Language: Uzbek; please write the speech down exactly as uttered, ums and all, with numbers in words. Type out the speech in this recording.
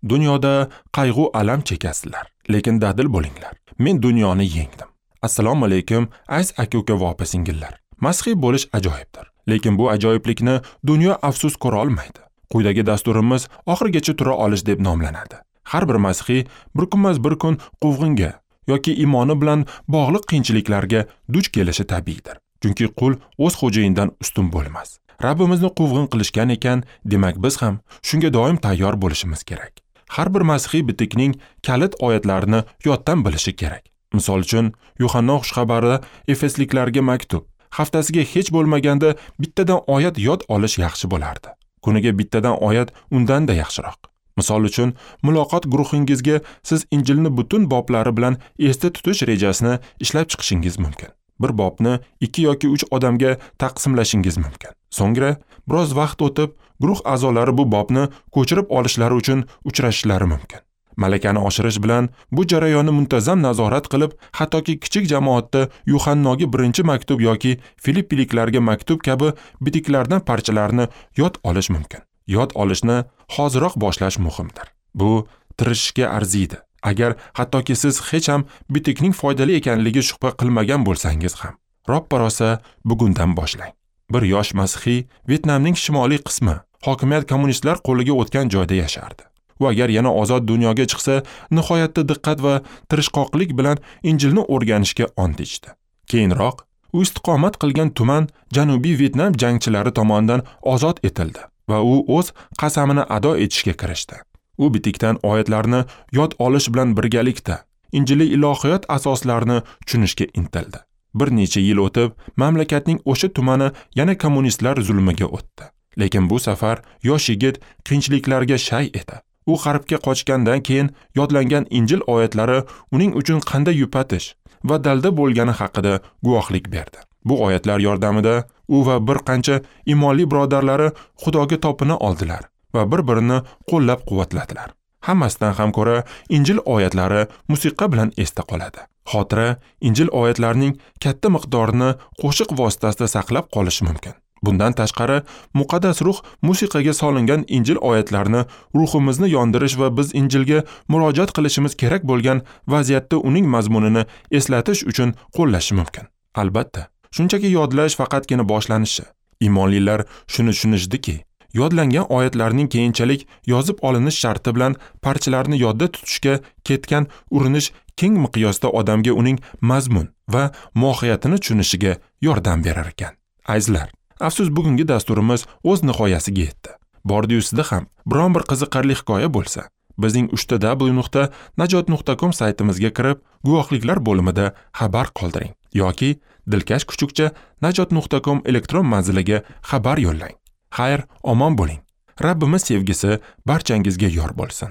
Dunyoda qayg'u alam chekasizlar, lekin dadil bo'linglar. Men dunyoni yengdim. Assalomu alaykum, aziz aka-uka va opa-singillar. Masihiy bo'lish ajoyibdir, lekin bu ajoyiblikni dunyo afsus ko'ra olmaydi. Quyidagi dasturimiz oxirigacha tura olish deb nomlanadi. Har bir masihiy bir kunmas bir kun quvg'inga yoki iymoni bilan bog'liq qiyinchiliklarga duch kelishi tabiiydir. Chunki qul o'z xo'jayinidan ustun bo'lmas. Rabbimizni quvg'in qilishgan ekan, demak biz ham shunga doim tayyor bo'lishimiz kerak. Har bir masihiy bitikning kalit oyatlarini yoddan bilishi kerak. Misol uchun, Yuhanno xushxabarida Efesliklarga maktub. Haftasiga hech bo'lmaganda bittadan oyat yod olish yaxshi bo'lardi. Kuniga bittadan oyat undan-da yaxshiroq. Misol uchun, muloqot guruhingizga siz Injilni butun boblari bilan esda tutish rejasini ishlab chiqishingiz mumkin. Bir bobni ikki yoki uch odamga taqsimlashingiz mumkin. So'ngra biroz vaqt o'tib, guruh a'zolari bu bobni ko'chirib olishlari uchun uchrashishlari mumkin. Malakani oshirish bilan bu jarayonni muntazam nazorat qilib, hattoki kichik jamoatda Yuhannoga birinchi maktub yoki Filippiliklarga maktub kabi bitiklardan parchalarni yod olish mumkin. Yod olishni hoziroq boshlash muhimdir. Bu tirishishga arziydi. Agar hattoki siz hech ham bitikning foydali ekanligi shubha qilmagan bo'lsangiz ham, roppa-rosa bugundan boshlang. Bir yosh masihiy Vyetnamning shimoliy qismi hokimiyat kommunistlar qo'liga o'tgan joyda yashardi. U agar yana ozod dunyoga chiqsa, nihoyatda diqqat va tirishqoqlik bilan Injilni o'rganishga ont ichdi. Keyinroq u istiqomat qilgan tuman Janubiy Vyetnam jangchilari tomonidan ozod etildi va u o'z qasamini ado etishga kirishdi. U bitikdan oyatlarni yod olish bilan birgalikda Injiliy ilohiyot asoslarini tushunishga intildi. Bir necha yil o'tib, mamlakatning o'sha tumani yana kommunistlar zulmiga o'tdi. Lekin bu safar yosh yigit qiyinchiliklarga shay edi. U g'arbga qochgandan keyin yodlangan Injil oyatlari uning uchun qanday yupatish va dalda bo'lgani haqida guvohlik berdi. Bu oyatlar yordamida u va bir qancha iymonli birodarlari Xudoga topina oldilar va bir-birini qo'llab-quvvatladilar. Hammasidan ham ko'ra Injil oyatlari musiqa bilan esda qoladi. Xotira Injil oyatlarining katta miqdorini qo'shiq vositasida saqlab qolishi mumkin. Bundan tashqari, muqaddas ruh musiqaga solingan Injil oyatlarini ruhimizni yondirish va biz Injilga murojaat qilishimiz kerak bo'lgan vaziyatda uning mazmunini eslatish uchun qo'llashi mumkin. Albatta, shunchaki yodlash faqatgina boshlanishi. Iymonlilar shuni tushunishdiki, yodlangan oyatlarning keyinchalik yozib olinish sharti bilan parchalarni yodda tutishga ketgan urinish keng miqyosda odamga uning mazmun va mohiyatini tushunishiga yordam berar ekan. Azizlar, afsus bugungi dasturimiz o'z nihoyasiga yetdi. Bordi-yu sizda ham biron bir qiziqarli hikoya bo'lsa, bizning uchta w nuqta najot nuqta com saytimizga kirib, guvohliklar bo'limida xabar qoldiring yoki dilkash kuchukcha najot nuqta com elektron manziliga xabar yo'llang. Xayr, omon bo'ling. Rabbimiz sevgisi barchangizga yor bo'lsin.